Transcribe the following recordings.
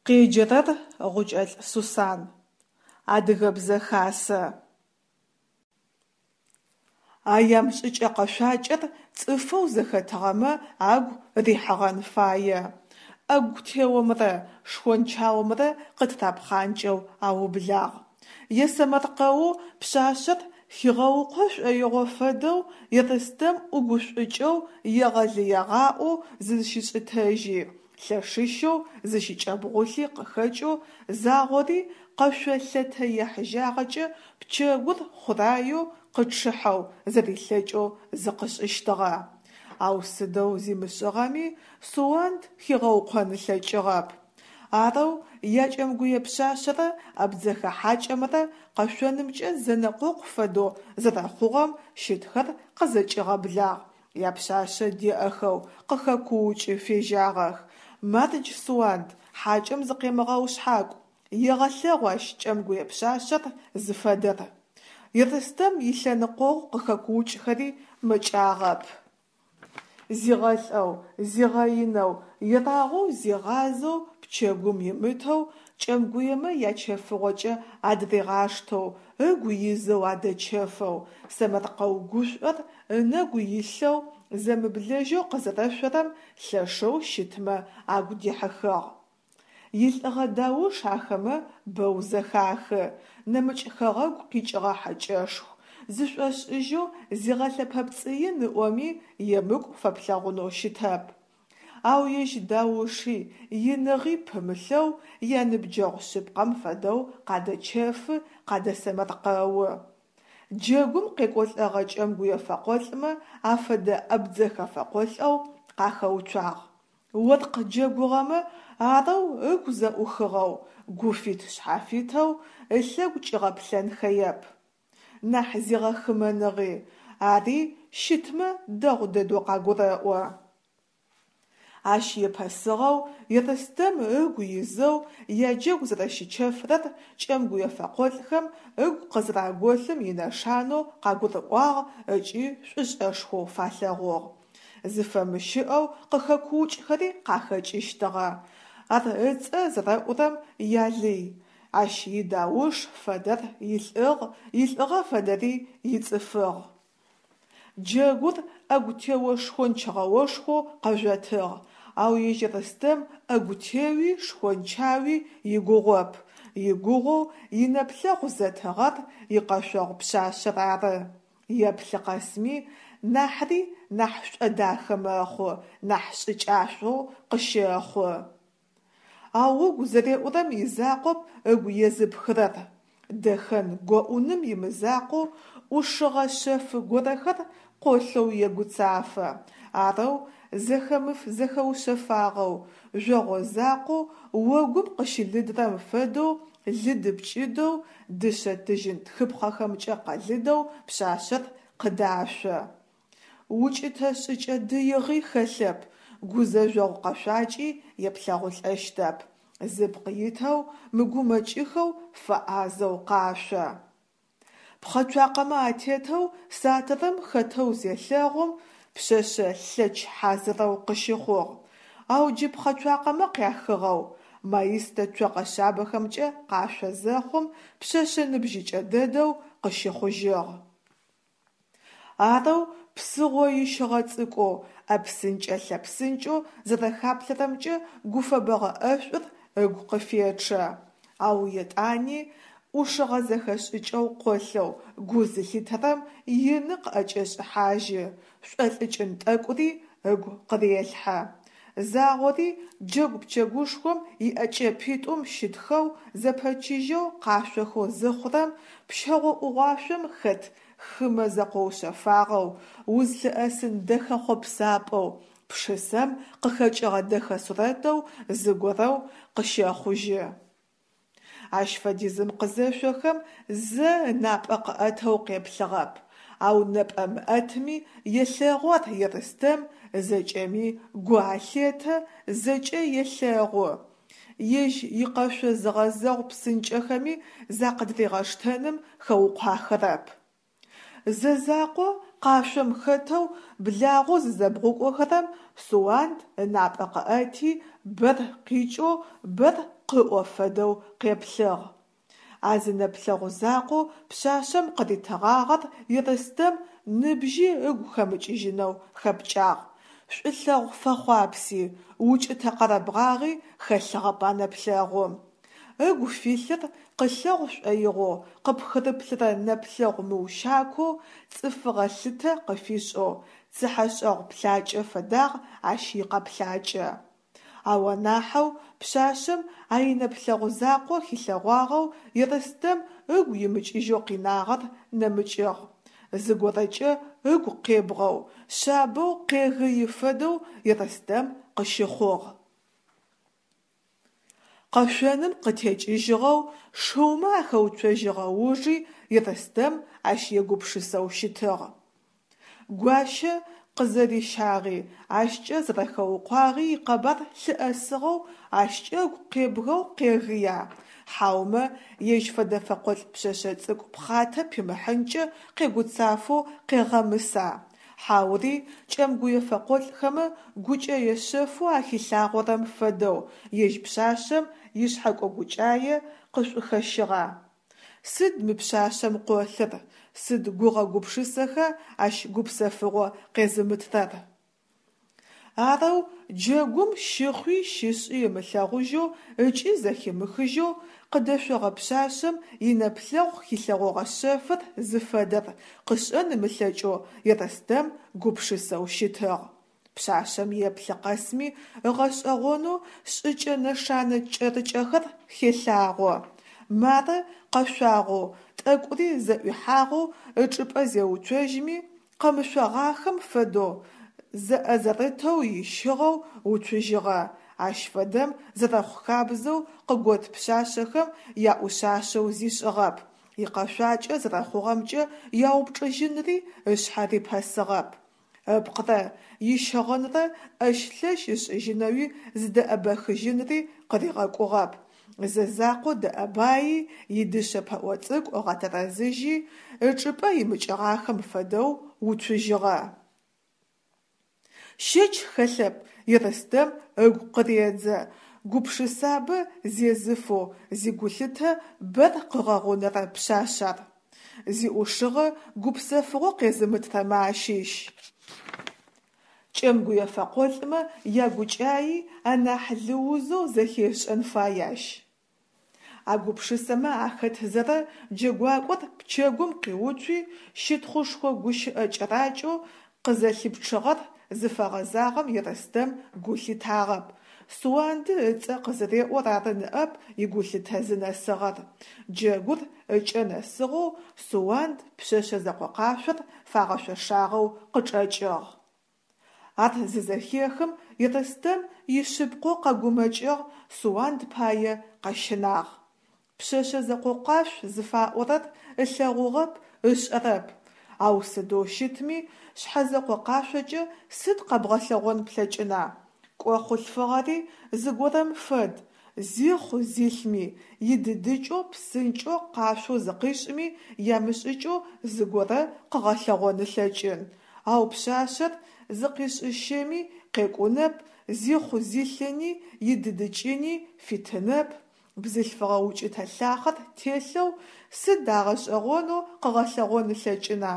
Къеджэрэр Гъукӏэлӏ Сусан. Адыгэбзэ хасэ. Аям шӏыкӏэ-къэшъуакӏэр цӏыфэу зэхэтыгъэмэ агу рихьыгъэн фае, ӏэгу теомрэ шхончаомрэ къытырапхъанкӏэу аублагъ. Есэмэркъэоу пшъашъэр хигъэукъо шӏоигъо фэдэу Ерстэм ӏугушӏукӏэу егъэлыегъаӏоу зызщишӏытэжьи, лъэшыщэу зыщыкӏэбгъулъи къыхэкӏэу загъори къэшъо лъэтэ ехьыжьагъэкӏэ пчэгур хъураеу къычъыхьэу зэрилъэкӏэу зыкъышӏыщтыгъэ. Ау сыдэу зимышӏыгъэми, Суанд хигъэукъон ылъэкӏыгъэп. Арэу якӏэмгуе пшъашъэрэ абдзэхэ хьакӏэмрэ къэшъонымкӏэ зэнэкъокъу фэдэу зэрэхъугъэм щытхэр къызэкӏигъэблагъ, япшъашъэ деӏэхэу къыхэкуукӏы фежьагъэх: «Мардж, Суанд, хьакӏэм зыкъемыгъэушъхьакӏу! Егъэлъэгъу ащ кӏэмгуе пшъашъэр зыфэдэр!» Ерстэм илъэныкъогъу къыхэкуукӏхэри мэкӏагъэп. Зигъэлӏэу, зигъэинэу, ерагъоу зигъазэу пчэгум имытэу, кӏэмгуемэ ячэфыгъокӏэ адыригъаштэу, ыгу изэу адэчэфэу, сэмэркъэу гушӏор ынэгу илъэу, зэмыблэжьэу къызэрэшъорэм лъэшэу щытмэ агу дихьыхыгъ. Илӏыгъэ дауш ахэмэ бэу зэхахы, нэмыкӏ хэгъэгу къикӏыгъэ хьэкӏэшху, зышӏошӏыжьэу зигъэлъэпэпцӏыин ыӏоми, емыкӏу фэплъэгъунэу щытэп. Ау ежь дауши, иныгъи пымылъэу, яныбджэгъу шъыпкъэм фэдэу къадэчэфы, къадэсэмэркъэу. Джэгум къекӏолӏэгъэ кӏэмгуе фэкъолӏмэ афэдэ абдзэхэ фэкъолӏэу къахэуцуагъ. Оркъ джэгугъэмэ арэу ыгу зэӏухыгъэу, гуфит-шъхьафитэу ылъэгу кӏигъэплъэнхэеп. Нахь зигъэхымэныгъи, ари щытмэ дэгъу дэдэу къагурэӏо. Ащ епэсыгъэу, Ерстэм ыгу изэу яджэгу зэрэщычэфрэр кӏэмгуе фэкъолӏхэм ыгу къызэраголъым инэшанэу къагурыӏуагъ ыкӏи шӏушӏэшхоу фалъэгъугъ. Зыфэмыщыӏэу къыхэкуукӏхэри къахэкӏыщтыгъэ. Ар ыцӏэ зэрэӏурэм ялый. Ащ идауш фэдэр илӏыгъ, илӏыгъэ фэдэри ицӏыфыгъ. Джэгур ӏэгу тео шхончгъэошхоу къэжъотыгъ, ау ежь Ерстэм ӏэгу теуи шхончауи игугъоп, игугъоу инэплъэгъу зэтыгъэр икъэшъогъу пшъашъэр ары. Еплъы къэсми, нахьри нахь шӏодахэ мэхъу, нахь шӏыкӏашӏоу къыщэхъу. Ау ыгу зэреӏурэм изакъоп ыгу езыпхырэр. Дэхэн гоӏуным имызакъоу ӏушыгъэ шъэф горэхэр къолъэу егуцафэ. Арэу зэхэмыф-зэхэушъэфагъэу, жъогъо закъоу огум къыщылыдрэм фэдэу лыды-пкӏыдэу, дышъэ-тыжьын тхыпхъэхэмкӏэ къэлыдэу пшъашъэр къыдашъо. Укӏытэ шӏыкӏэ дыигъи хэлъэп, гузэжъогъу къэшъуакӏи еплъэгъулӏэщтэп. Зыпкъ итэу, мыгумэкӏыхэу, фэӏазэу къашъо. Пхъэцуакъэмэ атетэу сатырым хэтэу зелъэгъум, пшъэшъэ лъэч хьазырэу къыщыхъугъ. Ау джы пхъэцуакъэмэ къяхыгъэу, маистэ цокъэ шъабэхэмкӏэ къашъо зэхъум, пшъэшъэ ныбжьыкӏэ дэдэу къыщыхъужьыгъ. Арэу псыгъо ищыгъэ цӏыкӏоу, ӏэпсынкӏэ-лъэпсынкӏэу зэрэхаплъэрэмкӏэ гуфэбэгъэ ӏэшӏур ыгу къыфечъэ. Ау етӏани ӏушыгъэ зэхэшӏыкӏэу къолъэу гу зылъитэрэм ины къыӏэкӏешӏыхьажьы, шӏолӏыкӏын тӏэкӏури ыгу къырелъхьэ. Загъори джэгу пчэгушхом иӏэкӏэпитӏум щытхэу зэпэчыжьэу къашъохэу зыхъурэм, пщэгъо ӏугъуашъом хэт хымэ зэкъоушъэфагъэу, узлъыӏэсын дэхэ хъопсапӏэу, пшысэм къыхэкӏыгъэ дэхэ сурэтэу зыгорэу къыщэхъужьы. Ащ фэдизым къызэшъохэм зэ ынапӏэ къыӏэтэу къеплъыгъэп, ау нэпӏэ мыӏэтми елъэгъу ар Ерстэм, зэкӏэми гу алъетэ, зэкӏэ елъэгъу. Ежь икъэшъо зыгъэзэгъу псынкӏэхэми закъыдыригъэштэным хэукъуахэрэп. Зэ закъо къашъом хэтэу благъэу зызэбгъукӏохэрэм Суанд ынапӏэ къыӏэти, бэр къикӏэу бэр къыӏо фэдэу къеплъыгъ. А зы нэплъэгъу закъоу пшъашъэм къыритыгъагъэр Ерстэм ныбжьи ыгу хэмыкӏыжьынэу хэпкӏагъ. Шӏулъэгъу фэхъуапси, укӏытэ-къэрэбгъагъи хэлъыгъэп а нэплъэгъум. Ыгу филъыр къылъэгъу шӏоигъоу къыпхырыплъырэ нэплъэгъу мыущакоу, цӏыфыгъэ лъытэ къыфишӏэу, цыхьэшӏэгъу плъакӏэ фэдагъ ащ икъэплъакӏэ. Ау анахьэу пшъашъэм а инэплъэгъу закъо хилъэгъуагъэу Ерстэм ыгу имыкӏыжьэу къинагъэр нэмыкӏыгъ. Зыгорэкӏэ ыгу къебгъэу, шъабэу къегыи фэдэу Ерстэм къыщыхъугъ. Къэшъоным къытекӏыжьыгъэу шыумэ ахэуцожьыгъэ ужи Ерстэм ащ егупшысэу щытыгъ. Гуащэ къызэрищагъи, ащкӏэ зэрэхэукъуагъи икъэбар лъыӏэсыгъэу ащкӏэ ыгу къебгэу къегыя, хьаумэ ежь фэдэ фэкъолӏ пшъэшъэ цӏыкӏу пхъатэ пимыхьынкӏэ къегуцафэу къегъэмыса, хьаури кӏэмгуе фэкъолӏхэмэ гукӏэе шъэфэу ахилъагъорэм фэдэу ежь пшъашъэм ишъхьэкӏо-гукӏае къышӏухэщыгъа? Сыд мы пшъашъэм къолъыр, сыд гугъэ-гупшысэха ащ гупсэфыгъо къезымытрэр? Арэу джэгум щыхъуи щышӏи ымылъэгъужьэу ыкӏи зэхимыхыжьэу къыдэшъогъэ пшъашъэм инэплъэгъу хилъэгъогъэ шъэфыр зыфэдэр къышӏэн ымылъэкӏэу Ерстэм гупшысэу щытыгъ. Пшъашъэм еплъы къэсми ыгъэшӏэгъонэу шӏыкӏэ-нэшанэ кӏэрыкӏэхэр хелъагъо. Мары къэшъуагъэу, тӏэкӏури зэӏуихьагъэу ычӏыпӏэ зеуцожьми, къэмышъогъахэм фэдэу зэӏэзэрытэу ищыгъэу уцужьыгъэ, ащ фэдэм зэрэхъу хабзэу къыгот пшъашъэхэм яӏушъашъэу зишӏыгъэп, икъэшъуакӏэ зэрэхъугъэмкӏэ яупчӏыжьынри ышъхьэ рипэсыгъэп. Ыпкърэ ищыгъынрэ ӏэщ-лъэщ ышӏыжьынэуи зыдэӏэбэхыжьынри къыригъэкӏугъэп. Зэ закъо дэӏэбаи, идышъэ пэӏо цӏыкӏу ыгъэтэрэзыжьи, ычӏыпӏэ имыкӏыгъахэм фэдэу уцужьыгъэ. Щэч хэлъэп, Ерстэм ыгу къыредзэ, гупшысабэ зезыфэу зигулъытэ бэр къыгъэгъунэрэ пшъашъ ар. Зиӏушыгъэ гупсэфыгъо къезымытрэмэ ащыщ. Кӏэмгуе фэкъолӏмэ ягукӏаи анахь лыузэу зэхешӏэн фай ащ. А гупшысэмэ ахэтзэрэ джэгуакӏор пчэгум къиуцуи, щытхъушхо гущыӏэ кӏэракӏэу къызэлъипчъыгъэр зыфэгъэзагъэм Ерстэм гу лъитагъэп, Суанды ыцӏэ къызыреӏор ары ныӏэп игулъытэ зынэсыгъэр. Джэгур ыкӏэ нэсыгъэу Суанд пшъэшъэ зэкъокъашъор фагъэшъошагъэу къычӏэкӏыгъ. Ар зызэхехым Ерстэм ишъыпкъэу къэгумэкӏыгъ, Суанд пае къэщынагъ. Пшъэшъэ зэкъокъуашъу зыфаӏорэр ылъэгъугъэп, ышӏэрэп. Ау сыдэу щытми, шъхьэзэкъо къашъокӏэ сыд къэбгъэлъэгъон плъэкӏына? Кӏо хъулъфыгъэри зыгорэм фэд, зихъу-зилъми, идыдыкӏэу псынкӏэу къашъоу зыкъишӏми ямышӏыкӏэу зыгорэ къыгъэлъэгъон ылъэкӏын. Ау пшъашъэр зыкъишӏыщэми къекӏунэп, зихъу-зилъыни, идыдыкӏыни фитынэп. Бзылъфыгъэ укӏытэ лъахъэр телъэу сыд агъэшӏэгъонэу къыгъэлъэгъон ылъэкӏына?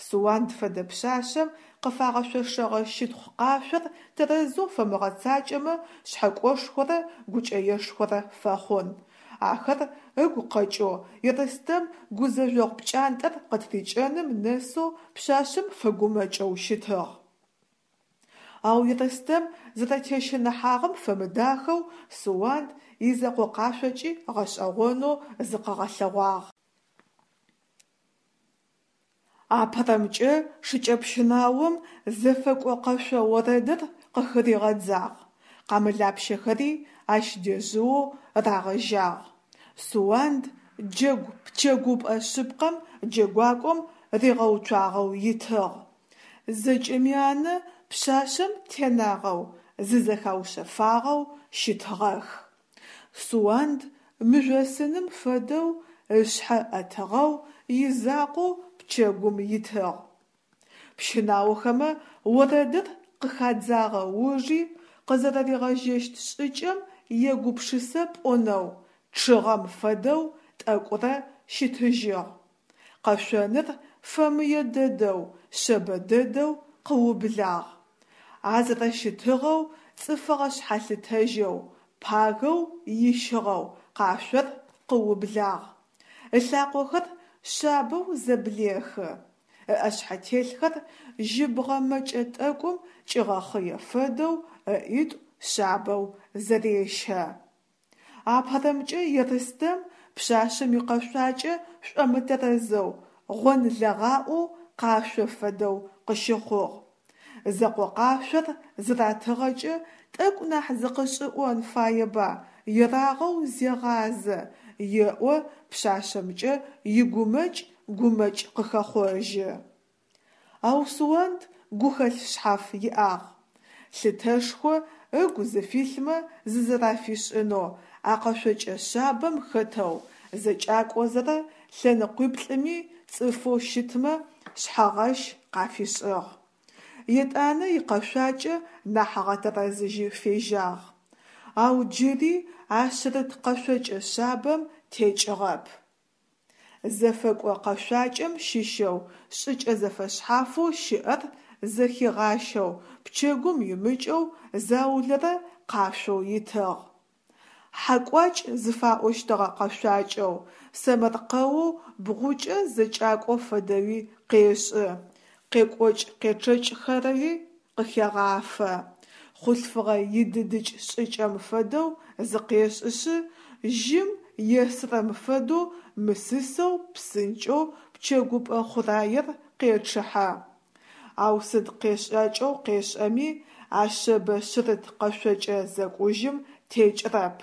Суанд фэдэ пшъашъэм къыфагъэшъошэгъэ щытхъу къашъор тэрэзэу фэмыгъэцакӏэмэ шъхьэкӏошхорэ гукӏэешхорэ фэхъун. Ахэр ыгу къэкӏэу Ерстэм гузэжъогъу пкӏантӏэр къытырикӏэным нэсэу пшъашъэм фэгумэкӏэу щытыгъ. Ау Ерстэм зэрэтещыныхьагъэм фэмыдахэу Суанд изэкъо къашъокӏи гъэшӏэгъонэу зыкъыгъэлъэгъуагъ. Апэрэмкӏэ шыкӏэпщынаом зэфэкӏо къэшъо орэдыр къыхыригъэдзагъ, къамылапщэхэри ащ дежъыоу рагъэжьагъ. Суанд джэгу пчэгупӏэ шъыпкъэм джэгуакӏом ригъэуцуагъэу итыгъ. Зэкӏэми анэ пшъашъэм тенагъэу, зызэхаушъэфагъэу щытыгъэх. Суанд мыжъосыным фэдэу ышъхьэ ӏэтыгъэу изакъоу пчэгум итыгъ. Пщынаохэмэ орэдыр къыхадзагъэ ужи. Къызэрэригъэжьэщт шӏыкӏэм егупшысэ пӏонэу, чъыгъэм фэдэу тӏэкӏурэ щытыжьыгъ. Къэшъоныр фэмые дэдэу, шъэбэ дэдэу къыублагъ. А зэрэщытыгъэу цӏыфыгъэ шъхьалъытэжьэу, пагэу ищыгъэу къашъор къыублагъ. Ылъакъохэр шъабэу зэблехы, ыӏэшъхьэтелъхэр жьыбгъэ мэкӏэ тӏэкӏум кӏигъэхъые фэдэу ыӏитӏу шъабэу зэрещэ. Апэрэмкӏэ Ерстэм пшъашъэм икъэшъуакӏэ шӏомытэрэзэу, гъонлэгъаӏоу къашъо фэдэу къыщыхъугъ. Зэкъо къашъор зыратыгъэкӏэ тӏэкӏу нахь зыкъышӏыӏон фаеба, ерагъэу зегъазэ, еӏо пшъашъэмкӏэ игумэкӏ гумэкӏ къыхэхъожьы. Ау Суанд гухэлъ шъхьаф иӏагъ. Лъытэшхо ыгу зыфилъмэ зызэрафишӏынэу а къэшъокӏэ шъабэм хэтэу зэкӏакӏозэрэ лъэныкъуиплӏыми цӏыфэу щытмэ шъхьэгъэщ къафишӏыгъ. Етӏанэ икъэшъуакӏэ нахь ыгъэтэрэзыжьы фежьагъ. Ау джыри а шъырыт къэшъокӏэ шъабэм текӏыгъэп. Зэфэкӏо къэшъуакӏэм щыщэу шӏыкӏэ зэфэшъхьафэу щыӏэр зэхигъащэу пчэгум имыкӏэу заулэрэ къашъоу итыгъ. Хьэкӏуакӏ зыфаӏощтыгъэ къэшъуакӏэу, сэмэркъэоу бгъукӏэ зэкӏакӏо фэдэуи къешӏы, къекӏокӏ-къечъэкӏхэри къыхегъафэ. Хъулъфыгъэ идыдыкӏ шӏыкӏэм фэдэу зыкъешӏышъы, жьым есырэм фэдэу мысысэу псынкӏэу пчэгупӏэ хъураер къечъыхьэ. Ау сыд къешӏакӏэу къешӏэми, а шъэбэ шъырыт къэшъокӏэ зэкӏужьым текӏырэп.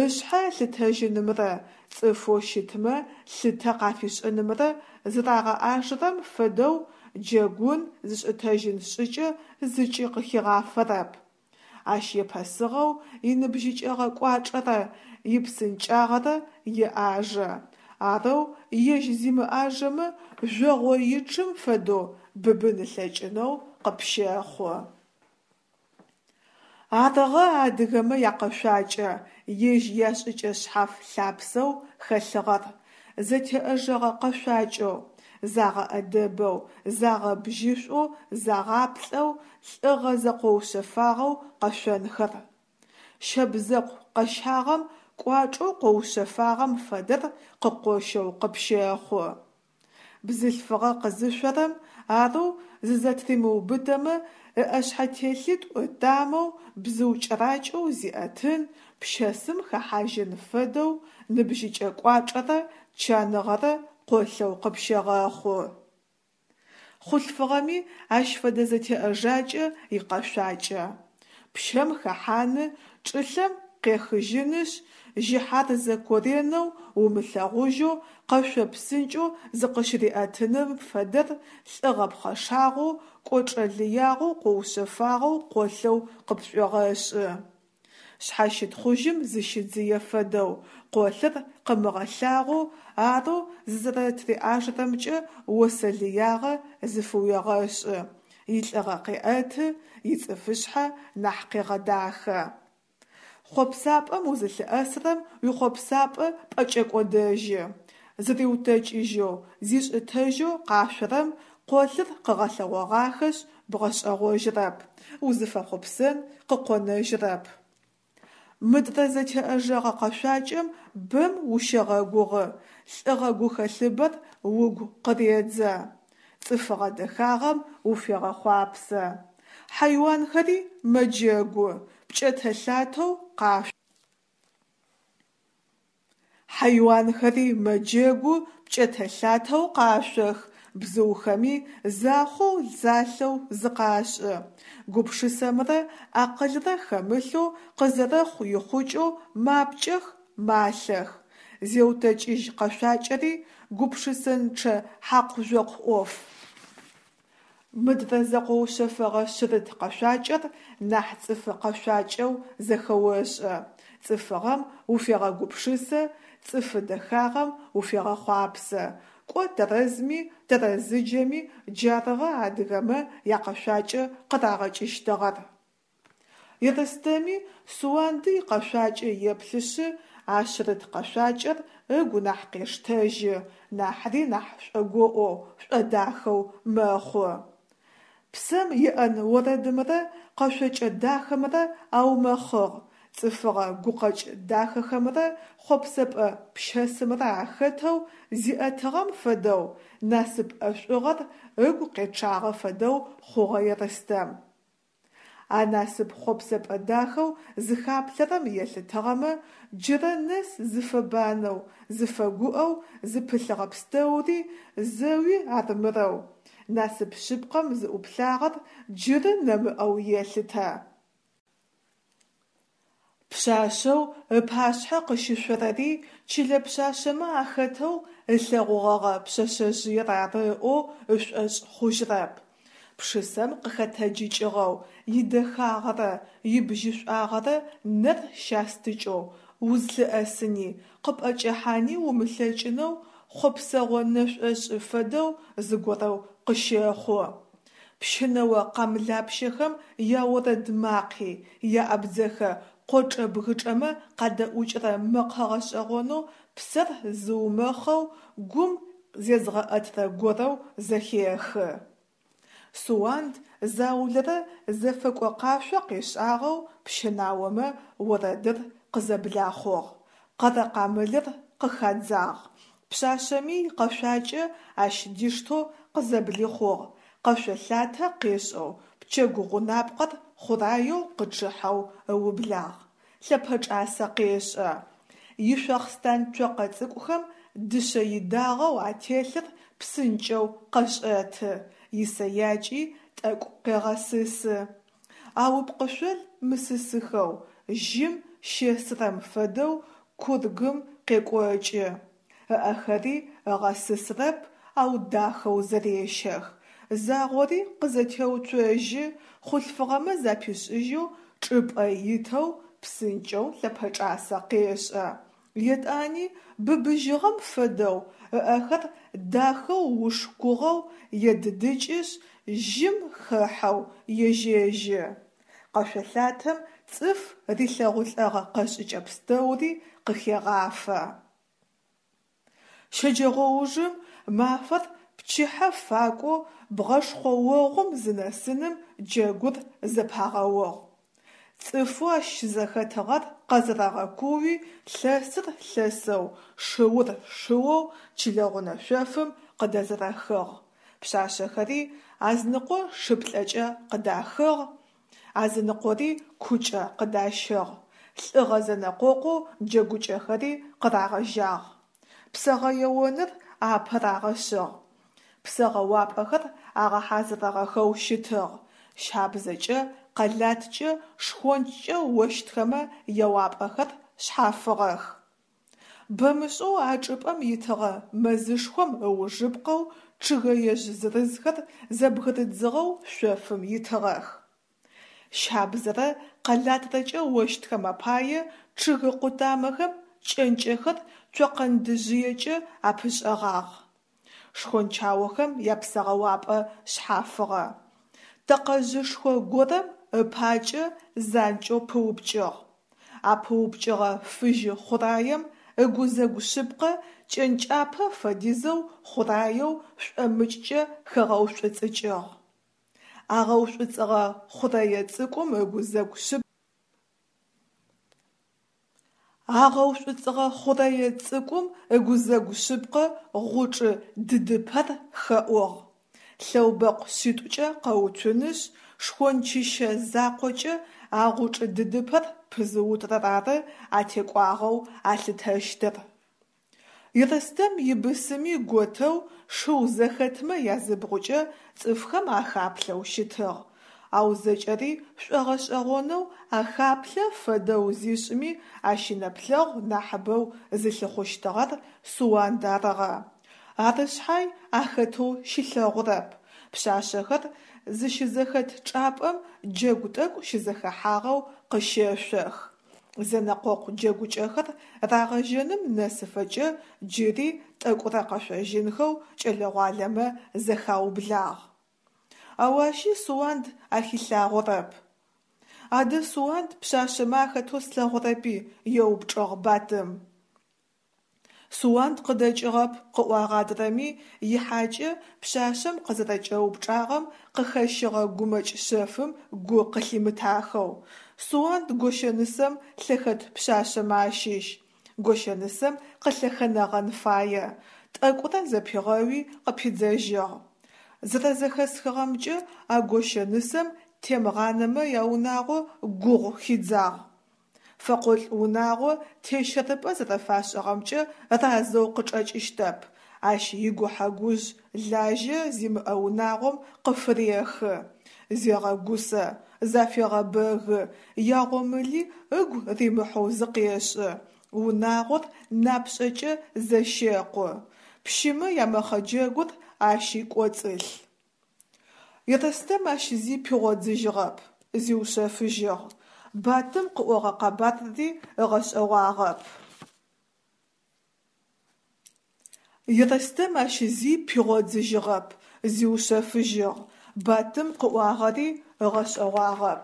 Ышъхьэ ылъытэжьынымрэ цӏыфэу щытмэ лъытэ къафишӏынымрэ зырагъэӏажэрэм фэдэу джэгун зышӏытэжьын шӏыкӏэ зыкӏи къыхигъафэрэп. Ащ епэсыгъэу иныбжьыкӏэгъэ кӏуачӏэрэ ипсынкӏагъэрэ еӏажэ, арэу ежь зимыӏажэмэ жъогъоичъым фэдэу быбын ылъэкӏынэу къыпщэхъу. Арыгъэ адыгэмэ якъэшъуакӏэ ежь яшӏыкӏэ шъхьаф лъапсэу хэлъыгъэр, зэтеӏэжэгъэ къэшъуакӏэу, загъэӏэдэбэу, загъэбжьышӏоу, загъаплӏэу, лӏыгъэ зэкъоушъэфагъэу къэшъонхэр. Щэбзэкъу къэщагъэм кӏуачӏэу къоушъэфагъэм фэдэр къыкъощэу къыпщэхъу. Бзылъфыгъэ къызышъорэм арэу зызэтыримыубытэмэ, ыӏэшъхьэтелъитӏу ытамэу бзыу кӏэракӏэу зиӏэтын, пщэсым хэхьажьын фэдэу ныбжьыкӏэ кӏуачӏэрэ чаныгъэрэ къолъэу къыпщегъэхъу. Хъулъфыгъэми ащ фэдэ зэтеӏэжакӏэ икъэшъуакӏэ. Пщэм хэхьаны, чӏылъэм къехыжьынышъ, жьыхьарзэ коренэу умылъэгъужьэу къэшъо псынкӏэу зыкъыщыриӏэтыным фэдэр лӏыгъэ пхъэшагъэу, кӏочӏэ лыягъэу къоушъэфагъэу къолъэу къыпшӏуегъэшӏы. Шъхьащытхъужьым зыщидзые фэдэу, къолъыр къымыгъэлъагъоу, арэу зызэрэтыриӏажэрэмкӏэ осэ лыягъэ зыфыуегъэшӏы, илӏыгъэ къеӏэты, ицӏыфышъхьэ нахь къегъэдахэ. Хъопсапӏэм узылъыӏэсырэм уихъопсапӏэ пӏэкӏэкӏодэжьы. Зыриутэкӏыжьэу, зишӏытэжьэу къашъорэм къолъыр къыгъэлъэгъогъахэшъ бгъэшӏэгъожьырэп, узыфэхъопсэн къыкъонэжьырэп. Мыдрэ зэтеӏэжэгъэ къэшъуакӏэм бэм ущегъэгугъы, лӏыгъэ гухэлъыбэр угу къыредзэ. Цӏыфыгъэ дэхагъэм уфегъэхъуапсэ. Хьайуанхэри мэджэгу, пкӏэтэ-лъатэу къашъох. Хьайуанхэри мэджэгу, пкӏэтэ-лъатэу къашъох, бзыухэми захъоу залъэу зыкъашӏы. Гупшысэмрэ акъылрэ хэмылъэу къызэрэхъу ихъукӏэу мапкӏэх, малъэх. Зеутэкӏыжь къэшъуакӏэри гупшысэнчъэ хьакъу-жъокъу ӏоф. Мыдрэ зэкъоушъэфэгъэ шъырыт къэшъуакӏэр нахь цӏыфы къэшъуакӏэу зэхэошӏэ, цӏыфыгъэм уфегъэгупшысэ, цӏыфы дэхагъэм уфегъэхъуапсэ. Кӏо тэрэзми тэрэзыджэми джарыгъэ адыгэмэ якъэшъуакӏэ къырагъэкӏыщтыгъэр. Ерстэми Суанды икъэшъуакӏэ еплъышъы, Ашъырыт къэшъуакӏэр ыгу нахь къештэжьы, нахьри нахь шӏогоӏоу, шӏодахэу мэхъу. Псэм еӏэн орэдымрэ къэшъокӏэ дахэмрэ аумэхъыгъ, цӏыфыгъэ гукъэкӏ дахэхэмрэ хъопсэпӏэ пщэсымрэ ахэтэу зиӏэтыгъэм фэдэу, насып ӏэшӏугъэр ыгу къечъагъэ фэдэу хъугъэ Ерстэм. А насып хъопсэпӏэ дахэу зыхаплъэрэм елъытыгъэмэ, джырэ нэс зыфэбанэу, зыфэгуӏэу зыпылъыгъэ пстэури зэуи армырэу, насып шъыпкъэм зыӏуплъагъэр джыры нэмыӏэу елъытэ. Пшъашъэу ыпашъхьэ къыщышъорэри чылэ пшъашъэмэ ахэтэу ылъэгъугъэгъэ пшъэшъэжъыер ары ыӏоу ышӏошъ хъужьрэп. Пшысэм къыхэтэджыкӏыгъэу, идэхагъэрэ ибжьышӏуагъэрэ нэр щастыкӏэу, узлъыӏэсыни, къыпӏэкӏэхьани умылъэкӏынэу хъопсэгъо нэшӏошӏы фэдэу зыгорэу къыщэхъу. Пщынэо къамылапщэхэм яорэд макъи, яабдзэхэ къочӏэ-бгычӏэмэ къадэӏукӏырэ мэкъэ гъэшӏэгъонэу псэр зыумэхъэу гум зезгъэӏэтрэ горэу зэхехы. Суанд заулэрэ зэфэкӏо къашъо къешӏагъэу пщынаомэ орэдыр къызэблахъугъ, къэрэкъамылыр къыхадзагъ. Пшъашъэми икъэшъуакӏэ ащ диштэу къызэблихъугъ, къэшъо лъатэ къешӏэу, пчэгу гъунапкъэр хъураеу къычъыхьэу ыублагъ. Лъэпэчӏасэ къешӏэ. Ишъохъстан цокъэ цӏыкӏухэм дышъэ идагъэу ателъыр псынкӏэу къэшӏэты, исэякӏи тӏэкӏу къегъэсысы. Ау ыпкъышъол мысысыхэу, жьым щесрэм фэдэу кургым къекӏокӏы. Ыӏэхэри ыгъэсысрэп, ау дахэу зэрещэх. Загъори къызэтеуцожьы, хъулъфыгъэмэ запишӏыжьэу чӏыпӏэ итэу псынкӏэу лъэпэчӏасэ къешӏэ. Етӏани быбыжьыгъэм фэдэу ыӏэхэр дахэу ушкугъэу едыдыкӏышъ, жьым хэхьэу ежьэжьы. Къэшъо лъатэм цӏыф рилъэгъулӏэгъэ къэшӏыкӏэ пстэури къыхегъафэ. Щэджэгъоужым мафэр пчыхьэ факӏоу бгъэшхъоогъум зынэсыным джэгур зэпагъэугъ. Цӏыфэу ащ щызэхэтыгъэр къэзэрэгъэкууи, лъэсыр лъэсэу, шыур шыоу чылэгъунэ шъофым къыдэзэрэхыгъ. Пшъашъэхэри азыныкъо шыплӏэкӏэ къыдахыгъ, азыныкъори кукӏэ къыдащыгъ. Лӏыгъэ зэнэкъокъоу джэгукӏэхэри къырагъэжьагъ. Псэгъэеоныр апэ рагъэшъыгъ. Псэгъэуапӏэхэр агъэхьазырыгъэхэу щытыгъ. Щабзэкӏэ, къэлаткӏэ, шхончкӏэ ощтхэмэ яуапӏэхэр шъхьафыгъэх. Бэмышӏэу а чӏыпӏэм итыгъэ мэзышхом ыужыпкъэу чъыгэежъ зырызхэр зэбгырыдзыгъэу шъофым итыгъэх. Щабзэрэ къэлатрэкӏэ ощтхэм апае чъыгы къутамэхэм кӏэнкӏэхэр цокъэндыжъыекӏэ апышӏэгъагъ. Шхончаохэм япсэгъэуапӏэ шъхьафыгъэ. Тэкъэжъышхо горэм ыпакӏэ занкӏэу пыупкӏыгъ. А пыупкӏыгъэ фыжьы хъураем ыгузэгу шъыпкъэ кӏэнкӏапэ фэдизэу хъураеу шӏомыкӏкӏэ хэгъэушӏуцӏыкӏыгъ. Агъэушӏуцӏыгъэ хъурэе цӏыкӏум ыгузэгу шъып. Агъэушӏуцӏыгъэ хъурэе цӏыкӏум ыгузэгу шъыпкъэ гъучӏы дыдыпэр хэӏугъ. Лъэубэкъу шъитӏукӏэ къэуцунышъ, шхончыщэ закъокӏэ а гъучӏы дыдыпэр пызыутырэр ары атекӏуагъэу алъытэщтыр. Ерстэм ибысыми готэу шыу зэхэтмэ языбгъукӏэ цӏыфхэм ахаплъэу щытыгъ, ау зэкӏэри шӏогъэшӏэгъонэу ахаплъэ фэдэу зишӏыми ащ инэплъэгъу нахьыбэу зылъыхъущтыгъэр Суанд арыгъэ. Ары шъхьай ахэтэу щилъэгъурэп. Пшъашъэхэр зыщызэхэт чӏапӏэм джэгу тӏэкӏу щызэхэхьагъэу къыщэшъох. Зэнэкъокъу джэгукӏэхэр рагъэжьэным нэсыфэкӏэ джыри тӏэкӏурэ къэшъожьынхэу кӏэлэ-гъуалэмэ зэхаублагъ. Ау ащи Суанд ахилъагъорэп. Адэ Суанд пшъашъэмэ ахэтэу слъэгъурэпи? – еупчӏыгъ Батым. Суанд къыдэкӏыгъэп, къыӏуагъ адрэми, ихьакӏэ пшъашъэм къызэрэкӏэупчӏагъэм къыхэщыгъэ гумэкӏ шъэфым гу къылъимытахэу. Суанд гощэнысэм лъэхэт пшъашъэмэ ащыщ. Гощэнысэм къылъэхэнэгъэн фае. Тӏэкӏурэ зэпигъэуи къыпидзэжьыгъ. Зэрэзэхэсхыгъэмкӏэ, а гощэнысэм Темгъанэмэ яунагъо гугъу хидзагъ. Фэкъолӏ унагъо тещэрыпӏэ зэрэфашӏыгъэмкӏэ разэу къычӏэкӏыщтэп, ащ игухьэ-гужъ лажьэ зимыӏэ унагъом къыфырехы, зегъэгусэ, зафегъэбэгы, ягъомыли ыгу римыхьэу зыкъешӏы, унагъор напшӏэкӏэ зэщекъу. Пщымэ ямэхъэджэгур ащи кӏоцӏылъ. Ерстэм ащ зи пигъодзыжьыгъэп, зиушъэфыжьыгъ. Батым къыӏогъэ къэбарри ыгъэшӏэгъуагъэп. Ерстэм ащ зи пигъодзыжьыгъэп, зиушъэфыжьыгъ. Батым къыӏуагъэри ыгъэшӏэгъуагъэп.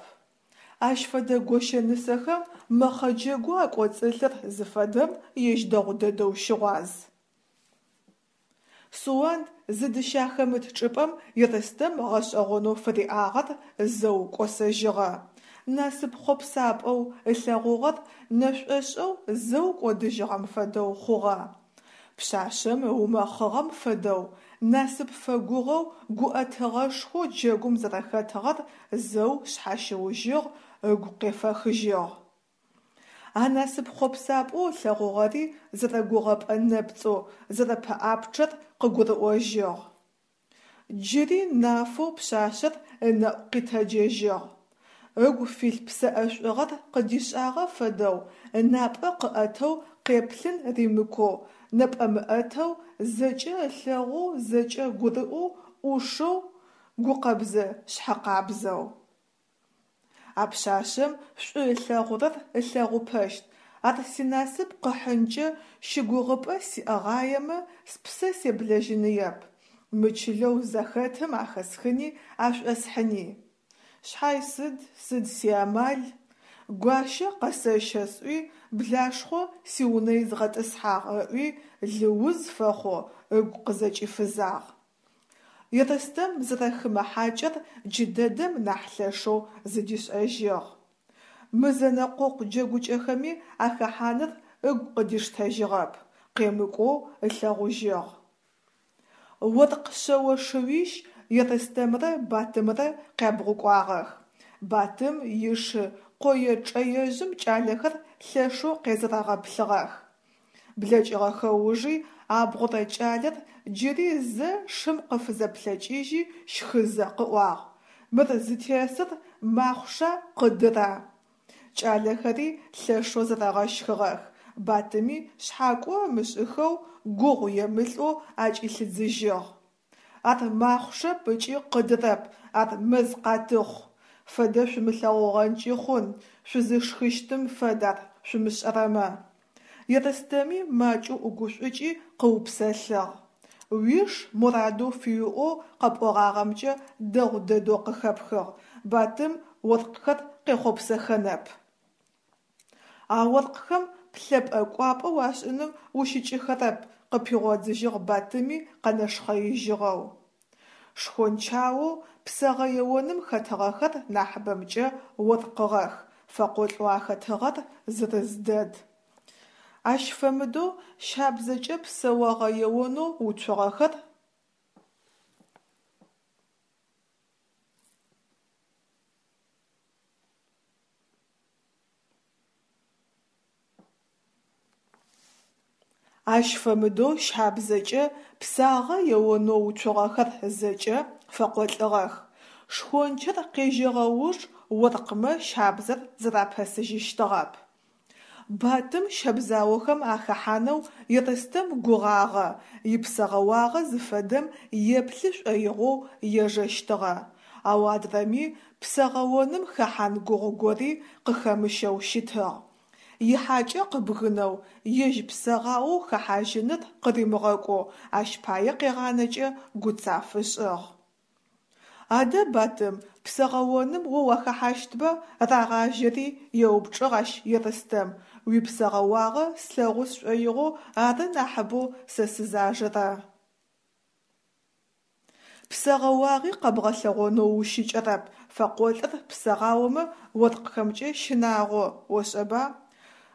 Ащ фэдэ гощэнысэхэм мэхъэджэгоу акӏоцӏылъыр зыфэдэм ежь дэгъу дэдэу щыгъуаз. Суанд зыдыщахэмыт чӏыпӏэм Ерстэм гъэшӏэгъонэу фыриӏагъэр зэу кӏосэжьыгъэ. Насып хъопсапӏэу ылъэгъугъэр нэшӏошӏэу зэу кӏодыжьыгъэм фэдэу хъугъэ. Пшъашъэм ыумэхъыгъэм фэдэу, насып фэгугъэу гуӏэтыгъэшхоу джэгум зэрэхэтыгъэр зэу шъхьащыужьыгъ, ыгу къефэхыжьыгъ. А насып хъопсапӏэу ылъэгъугъэри зэрэгугъэпӏэ нэпцӏэу, зэрэпэӏапчъэр къыгурыӏожьыгъ. Джыри нафэу пшъашъэр ынэӏу къитэджэжьыгъ. Ыгу филъ псэӏэшӏугъэр къыдишӏагъэ фэдэу, ынапӏэ къыӏэтэу къеплъын римыкоу, нэпӏэмыӏэтэу, зэкӏэ ылъэгъоу, зэкӏэ гурыӏоу, ӏушэу, гукъэбзэ-шъхьэкъабзэу. А пшъашъэм шӏу ылъэгъурэр ылъэгъупэщт, ар синасып къыхьынкӏэ щыгугъыпӏэ сиӏэгъаемэ, спсэ себлэжьыныеп, мы чылэу зэхэтым ахэсхыни ашӏосхьыни. Шъхьай сыд, сыд сиамал? Гуащэ къэсэщэ сӏуи, Блашхъо сиунэ изгъэтӏысхьагъ ыӏуи, лыуз фэхъоу ыгу къызэкӏифызагъ. Ерстэм зэрэхымэ хьакӏэр джыдэдэм нахь лъэшэу зыдишӏэжьыгъ. Мы зэнэкъокъу джэгукӏэхэми ахэхьаныр ыгу къыдиштэжьыгъэп, къемыкӏоу ылъэгъужьыгъ. Оркъ шъэо шыуищ Ерстэмрэ Батымрэ къябгъукӏуагъэх. Батым ишы къое чъэежъым кӏалэхэр лъэшэу къезэрэгъэплъыгъэх. Блэкӏыгъэхэ ужи абгъурэ кӏалэр джыри зэ шым къыфызэплъэкӏыжьи щхызэ къыӏуагъ: «Мыр зытесыр махъуша къыдыра?» Кӏалэхэри лъэшэу зэрэгъэщхыгъэх, Батыми шъхьакӏо ымышӏыхэу, гугъу емылӏэу акӏилъыдзыжьыгъ. Ар махъушэп ыкӏи къыдырэп, ар мэзкъатыхъу. Фэдэ шъумылъэгъугъэнкӏи хъун, шъузышхыщтым фэд ар шъумышӏэрэмэ. Ерстэми макӏэу ӏугушӏукӏи къыупсэлъыгъ. Уиш мурадэу фыуиӏэу къэпӏогъагъэмкӏэ дэгъу дэдэу къыхэпхыгъ, Батым оркъхэр къехъопсэхэнэп. А оркъхэм плъэпӏэ-кӏуапӏэ уашӏыным ущыкӏыхэрэп, къыпигъодзыжьыгъ Батыми къэнэшхъэижьыгъэу. Шхончаоу псэгъэ еоным хэтыгъэхэр нахьыбэмкӏэ оркъыгъэх, фэкъолӏэу ахэтыгъэр зырыз дэд. Ащ фэмыдэу щабзэкӏэ псэогъэ еонэу уцугъэхэр. Ащ фэмыдэу щабзэкӏэ псагъэ еонэу уцугъэхэр зэкӏэ фэкъолӏыгъэх. Шхончыр къежьэгъэ уж оркъмэ щабзэр зэрапэсыжьыщтыгъэп. Батым щэбзаохэм ахэхьанэу Ерстэм гугъагъэ, ипсэгъэуагъэ зыфэдэм еплъы шӏоигъоу ежэщтыгъэ. Ау адрэми псэгъэоным хэхьан гугъу гори къыхэмыщэу щытыгъ. Ихьакӏэ къыбгынэу, ежь псэгъаоу хэхьажьыныр къыримыгъэкӏоу ащ пае къегъанэкӏэ гуцаф ышӏыгъ. Адэ, Батым, псэгъэоным о уахэхьащтба? – рагъажьэри еупчӀыгъ ащ Ерстэм, уипсэгъэуагъэ слъэгъу сшӀоигъоу ары нахьыбэу сэ сызажэрэр. Псэгъэуагъи къэбгъэлъэгъонэу ущыкӏэрэп, фэкъолӏыр псэгъаомэ оркъхэмкӏэ щынагъо, ошӏэба?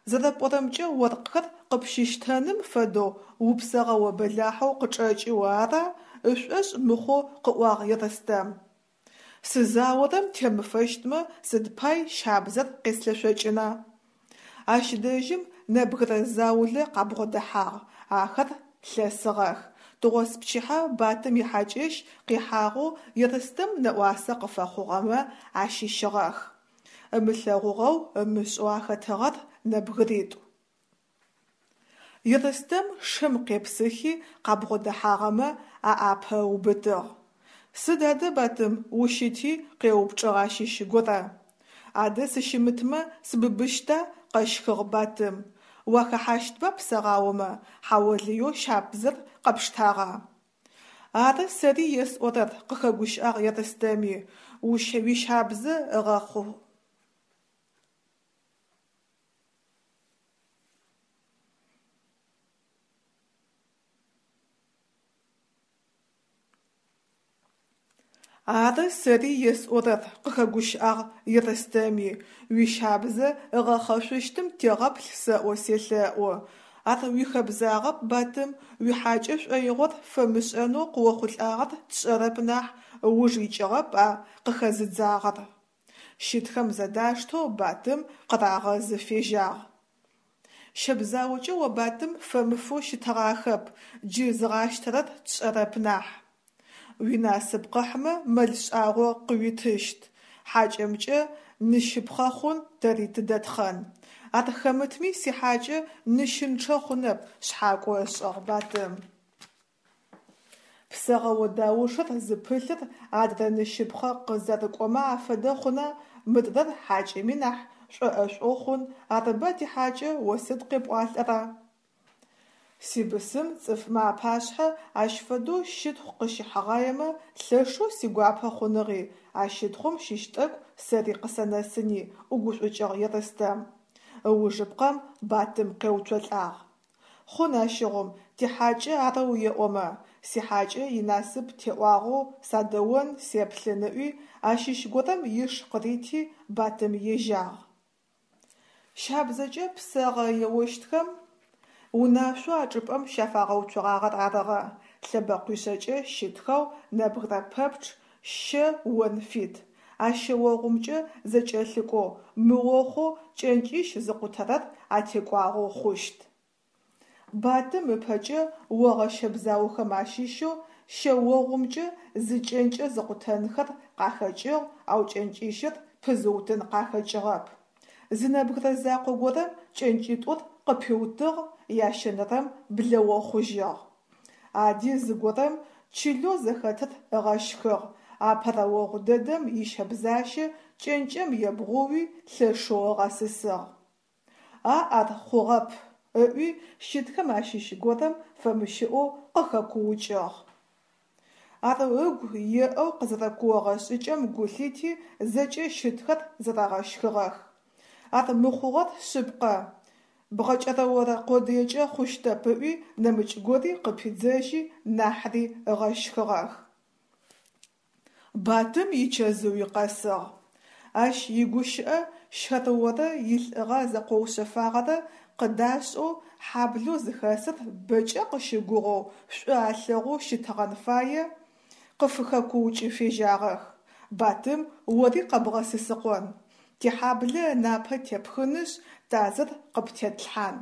Зэрэпӏорэмкӏэ, оркъхэр къыпщыщтэным фэдэу упсэгъэо бэлахьэу къычӏэкӏы о ара? – ышӏошъ мыхъоу къыӏуагъ Ерстэм. Сызаорэм темыфэщтмэ сыд пай щабзэр къеслъэшъокӏына? Ащ дэжьым нэбгырэ заулэ къабгъодэхьагъ, ахэр лъэсыгъэх. Тыгъоспчыхьэ Батым ихьакӏэщ къихьагъэу Ерстэм нэӏуасэ къыфэхъугъэмэ ащыщыгъэх. Ымылъэгъугъэу, ымышӏэу ахэтыгъэр нэбгыритӏу. Ерстэм шым къепсыхи къабгъодэхьагъэмэ аӏапэ ыубытыгъ. Сыд адэ, Батым, ущыти? – къеупчӏыгъ ащыщ горэ. Адэ сыщымытмэ сыбыбыщта? – къэщхыгъ Батым. Уахэхьащтба псэгъаомэ, хьаолыеу щабзэр къэпштагъа? Ары сэри есӏорэр, – къыхэгущыӏагъ Ерстэми, уищабзэ ыгъэхъу. Ары сэри есӏорэр, – къыхэгущыӏагъ Ерстэми, уищабзэ ыгъэхъэшъущтым тегъэплъ сэӏо селъэӏу. Ар уихэбзагъэп, Батым, уихьакӏэ шӏоигъор фэмышӏэнэу къыохъулӏагъэр тшӏэрэп нахь, ыуж икӏыгъэп а къыхэзыдзагъэр. Щытхэм зэдаштэу Батым къырагъэзы фежьагъ. Щэбзаокӏэ о Батым фэмыфэу щытыгъахэп, джы зыгъащтэрэр тшӏэрэп нахь. Уинасып къыхьмэ мэл шӏагъо къыуитыщт, хьакӏэмкӏэ ныщыпхъэ хъун, тэри тыдэтхъэн. Ар хэмытми сихьакӏэ ныщынчъэ хъунэп, шъхьакӏо ышӏыгъ Батым. Псэгъэо даушыр зыпылъыр адрэ ныщыпхъэ къызэрыкӏомэ афэдэ хъуна, мыдрэр хьакӏэми нахь шӏоӏэшӏоу хъун, арыба тихьакӏэ, о сыд къепӏуалӏэра? Сибысым цӏыфмэ апашъхьэ ащ фэдэу щытхъу къыщихьыгъаемэ лъэшэу сигуапэ хъуныгъи, а щытхъум щыщ тӏэкӏу сэри къысэнэсыни, ӏугушӏукӏыгъ Ерстэм. Ыужыпкъэм Батым къеуцолӏагъ. Хъун ащыгъум, тихьакӏэ арэу еӏомэ, сихьакӏэ инасып теӏуагъэу садэон, сеплъын ыӏуи, ащыщ горэм иш къырити Батым ежьагъ. Щабзэкӏэ псэгъэ еощтхэм унашъоу а чӏыпӏэм щафагъэуцугъагъэр арыгъэ: лъэбэкъуишъэкӏэ щытхэу нэбгырэ пэпчъ щэ он фит, а щэогъумкӏэ зэкӏэлъыкӏоу мыохъоу кӏэнкӏищ зыкъутэрэр атекӏуагъэу хъущт. Батым ыпэкӏэ огъэ щэбзаохэм ащыщэу щэогъумкӏэ зы кӏэнкӏэ зыкъутэнхэр къахэкӏыгъ, ау кӏэнкӏищыр пызыутын къахэкӏыгъэп. Зы нэбгырэ закъо горэм кӏэнкӏитӏур къыпиутыгъ, ящэнэрэм блэохъужьыгъ. Ади зыгорэм чылэу зэхэтыр ыгъэщхыгъ, апэрэ огъу дэдэм ищэбзащэ кӏэнкӏэм ебгъууи лъэшэу ыгъэсысыгъ. А ар хъугъэп! – ыӏуи щытхэм ащыщ горэм фэмыщыӏэу къыхэкуукӏыгъ. Ар ыгу еӏэу къызэрэкуогъэ шӏыкӏэм гу лъити, зэкӏэ щытхэр зэрэгъэщхыгъэх. Ар мыхъугъэр шъыпкъэ, бгъэкӏэрэорэ къодыекӏэ хъущтэп, ыӏуи нэмыкӏ гори къыпидзэжьи нахьри ыгъэщхыгъэх. Батым ичэзыуи къэсыгъ. Ащ игущыӏэ щэрыорэ илӏыгъэ зэкъоушъэфагъэрэ къыдашӏэу хьаблэу зыхэсыр бэкӏэ къыщыгугъэу, шӏу алъэгъоу щытыгъэн фае, къыфыхэкуукӏы фежьагъэх: Батым ори къэбгъэсысыкъон! Тихьаблэ ынапэ тепхынышъ, тазыр къыптетлъхьан!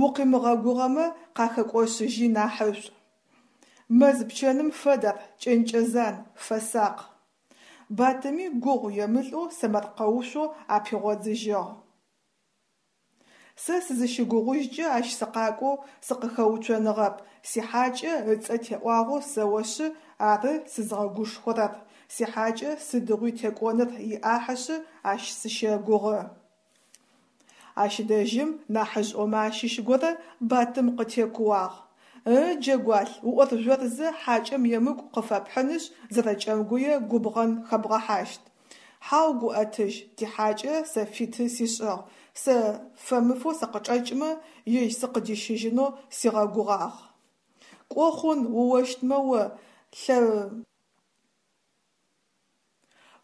Укъимыгъэгугъэмэ къахэкӏошъыжьи нахьышӏу. Мэз пчэным фэд ар, кӏэнкӏэ зан, фэсакъ. Батыми гугъу емылӏэу сэмэркъэушъо апигъодзыжьыгъ. Сэ сызыщыгугъужькӏэ ащ сыкъакӏоу сыкъыхэуцоныгъэп, сихьакӏэ ыцӏэ теӏуагъэу сэӏошъы ары сызгъэгушхорэр, сихьакӏэ сыдигъуи текӏоныр иӏахьышъы ащ сыщэгугъы. Ащ дэжьым нахьыжъыӏомэ ащыщ горэ Батым къытекууагъ. Ы, джэгуалъ, уӏоржъорзэ хьакӏэм емыкӏу къыфэпхьынышъ, зэрэкӏэмгуе губгъэн хэбгъэхьащт. Хьау, Гуӏэтыжь, тихьакӏэ сэ фиты сишӏыгъ, сэ фэмыфэу сыкъычӏэкӏмэ, ежь сыкъыдищыжьынэу сигъэгугъагъ. Кӏо хъун, уощтмэ о, лъэ...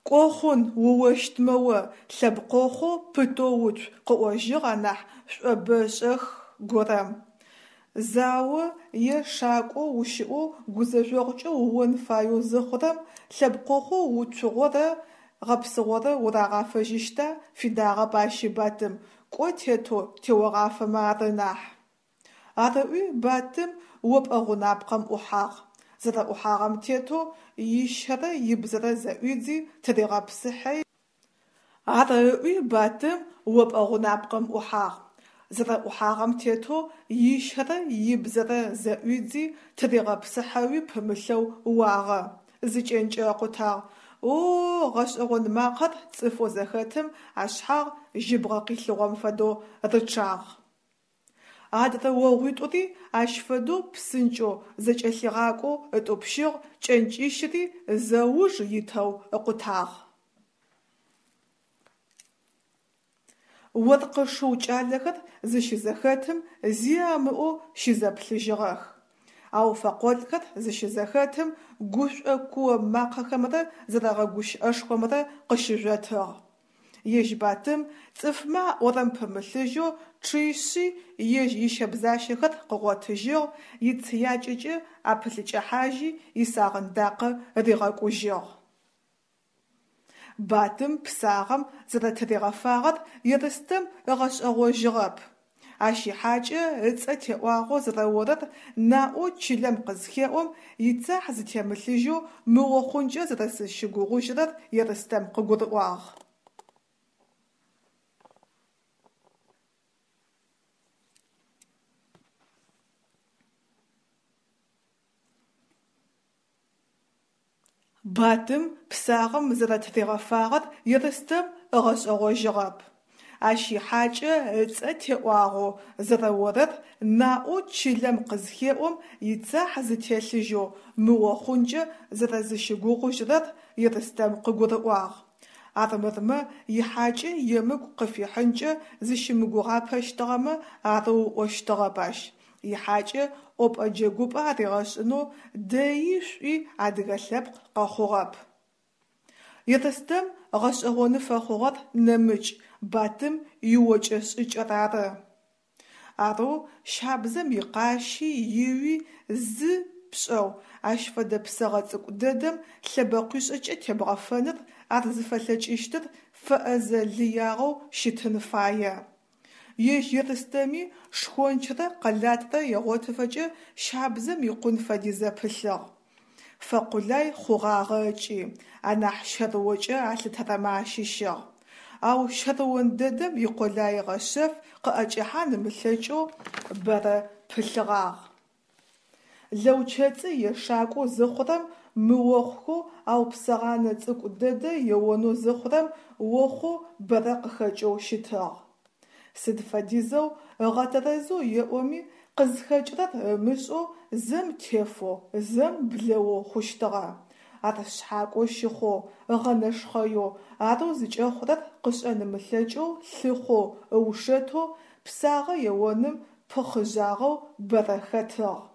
Кӏо хъун, уощтмэ о, лъэбкъохъоу пытэу уцу, къыӏожьыгъ анахь шӏобэшӏэх горэм. Зао е шакӏо ущыӏэу гузэжъогъукӏэ уон фаеу зыхъурэм, лъэбкъохъоу уцугъорэ гъэпсыгъорэ урагъафэжьыщта, фидагъэп ащи Батым, кӏо тетэу теогъафэмэ ары нахь. Ар ыӏуи Батым опӏэ гъунапкъэм ӏухьагъ. Зэрэӏухьагъэм тетэу ищэрэ ибзэрэ зэӏуидзи тыригъэпсыхьи. Ар ыӏуи Батым опӏэ гъунапкъэм ӏухьагъ. Зэрэӏухьагъэм тетэу ищэрэ ибзэрэ зэӏуидзи тыригъэпсыхьэуи пымылъэу уагъэ. Зы кӏэнкӏэ ыкъутагъ. О-о, гъэшӏэгъон макъэр цӏыфэу зэхэтым ашъхьагъ жьыбгъэ къилъыгъом фэдэу рычъагъ. Адрэ огъуитӏури ащ фэдэу псынкӏэу зэкӏэлъигъакӏоу ытӏупщыгъ, кӏэнкӏищыри зэуж итэу ыкъутагъ. Оркъы шыу кӏалэхэр зыщызэхэтым зи амыӏоу щызэплъыжьыгъэх. Ау фэкъолӏхэр зыщызэхэтым гушӏо куо макъэхэмрэ зэрэгъэгущыӏэшхомрэ къыщыжъотыгъ. Ежь Батым цӏыфмэ аӏорэм пымылъыжьэу чъищи ежь ищэбзащэхэр къыгъотыжьыгъ, ицыякӏэкӏэ апылъыкӏыхьажьи исагъындакъы ригъэкӏужьыгъ. Батым псагъэм зэрэтыригъэфагъэр Ерстэм ыгъэшӏэгъожьыгъэп. Ащ ихьакӏэ ыцӏэ теӏуагъэу зэрэорэр наӏоу чылэм къызхеӏом, ицахь зытемылъыжьэу мыо хъункӏэ зэрэзыщыгугъыжьырэр Ерстэм къыгурыӏуагъ. Батым псагъэм зэрэтыригъэфагъэр Ерстэм ыгъэшӏэгъожьыгъэп. Ащ ихьакӏэ ыцӏэ теӏуагъэу зэрэорэр наӏоу чылэм къызхеӏом, ицахь зытелъыжьэу мыо хъункӏэ зэрэзыщыгугъыжьырэр Ерстэм къыгурыӏуагъ. Армырмэ, ихьакӏэ емыкӏу къыфихьынкӏэ зыщымыгугъапэщтыгъэмэ арэу ыӏощтыгъэп ащ. Ихьакӏэ ӏопӏэ-джэгупӏэ аригъэшӏынэу дэи шӏуи адыгэ лъэпкъ къэхъугъэп. Ерстэм гъэшӏэгъоны фэхъугъэр нэмыкӏ, Батым иокӏэ-шӏыкӏэр ары. Арэу щабзэм икъащи иуи зы пшӏэу, ащ фэдэ псэгъэ цӏыкӏу дэдэм лъэбэкъуишӏэкӏэ тебгъэфэныр ар зыфэлъэкӏыщтыр фэӏэзэ лыягъэу щытын фае. Ежь Ерстэми шхончрэ къэлатрэ егъотыфэкӏэ щабзэм икъун фэдизэ пылъыгъ. Фэкъулай хъугъагъэ ыкӏи, анахь щэрыокӏэ алъытэрэмэ ащыщыгъ. Ау щэрыон дэдэм икъулаигъэ шъэф къыӏэкӏэхьан ымылъэкӏэу бэрэ пылъыгъагъ. Лэучэцӏы ешакӏоу зыхъурэм мыохъухэу, ау псэгъанэ цӏыкӏу дэдэ еонэу зыхъурэм охъоу бэрэ къыхэкӏэу щытыгъ. Сыд фэдизэу ыгъэтэрэзэу еӏоми, къызхэкӏырэр ымышӏэу зэм тефэу, зэм блэоу хъущтыгъэ. Ар шъхьакӏо щыхъоу, ыгъэнэшхъэеу, арэу зыкӏэхъурэр къышӏэн ымылъэкӏэу лъыхъоу, ыушэтэу, псагъэ еоным пыхъыжъагъэу бэрэ хэтыгъ.